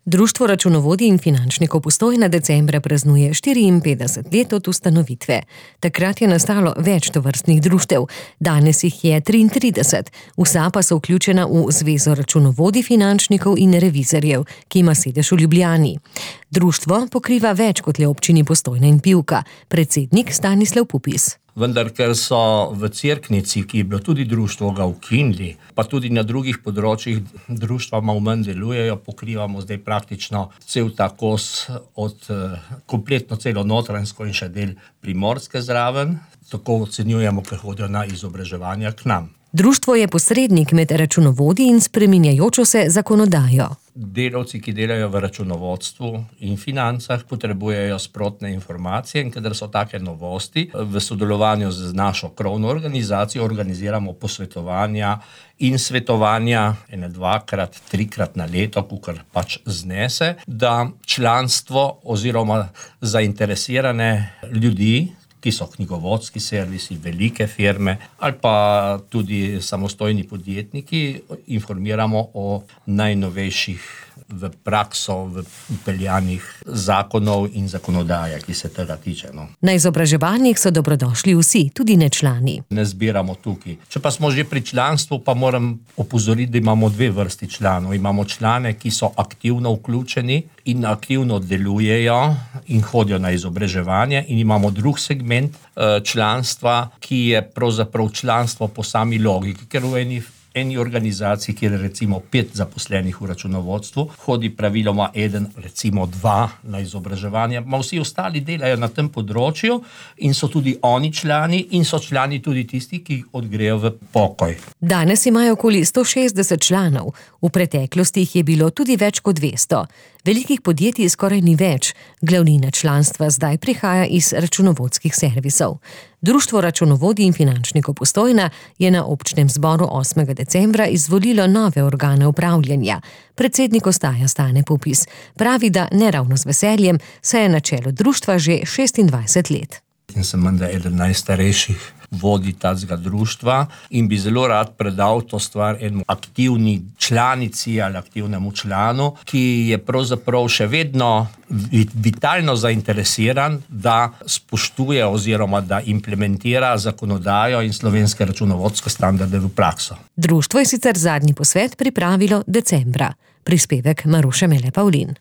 Društvo računovodij in finančnikov Postojna decembra praznuje 54 let od ustanovitve. Takrat je nastalo več tovrstnih društev, danes jih je 33, vsa pa so vključena v Zvezo računovodij, finančnikov in revizorjev, ki ima sedež v Ljubljani. Društvo pokriva več kot le občini Postojna in Pivka, predsednik Stanislav Pupis. Vendar, ker so v Cerknici, ki je bilo tudi društvo, ga ukinili, pa tudi na drugih področjih društva malo manj delujejo, pokrivamo zdaj praktično cel ta kos od kompletno celo Notranjsko in še del Primorske zraven. Tako ocenjujemo, ker hodijo na izobraževanja k nam. Društvo je posrednik med računovodji in spreminjajočo se zakonodajo. Delavci, ki delajo v računovodstvu in financah, potrebujejo sprotne informacije in kadar so take novosti, v sodelovanju z našo krovno organizacijo organiziramo posvetovanja in svetovanja 1, 2, 3 na leto, kakor pač znese, da članstvo oziroma zainteresirane ljudi, ki so knjigovodski servisi, velike firme ali pa tudi samostojni podjetniki, informiramo o najnovejših v prakso vpeljanih zakonov in zakonodaje, ki se tega tiče. Na izobraževanjih so dobrodošli vsi, tudi nečlani. Ne zbiramo tukaj. Če pa smo že pri članstvu, pa moram opozoriti, da imamo 2 vrsti članov. Imamo člane, ki so aktivno vključeni in aktivno delujejo in hodijo na izobraževanje, in imamo drug segment članstva, ki je pravzaprav članstvo po sami logiki, ker v eni organizaciji, kjer je recimo 5 zaposlenih v računovodstvu, hodi praviloma 1, recimo 2 na izobraževanje, ma vsi ostali delajo na tem področju in so tudi oni člani in so člani tudi tisti, ki odgrejo v pokoj. Danes imajo okoli 160 članov, v preteklosti jih je bilo tudi več kot 200. Velikih podjetij skoraj ni več, glavnina članstva zdaj prihaja iz računovodskih servisov. Društvo računovodij in finančnikov Postojna je na občnem zboru 8. decembra izvolilo nove organe upravljanja. Predsednik ostaja Stane Pupis. Pravi, da ne ravno z veseljem, saj je na čelu društva že 26 let. In sem menda eden najstarejših vodij tega društva in bi zelo rad predal to stvar enemu aktivni članici ali aktivnemu članu, ki je pravzaprav še vedno vitalno zainteresiran, da spoštuje oziroma da implementira zakonodajo in slovenske računovodske standarde v prakso. Društvo je sicer zadnji posvet pripravilo decembra. Prispevek Maruše Mele Pavlin.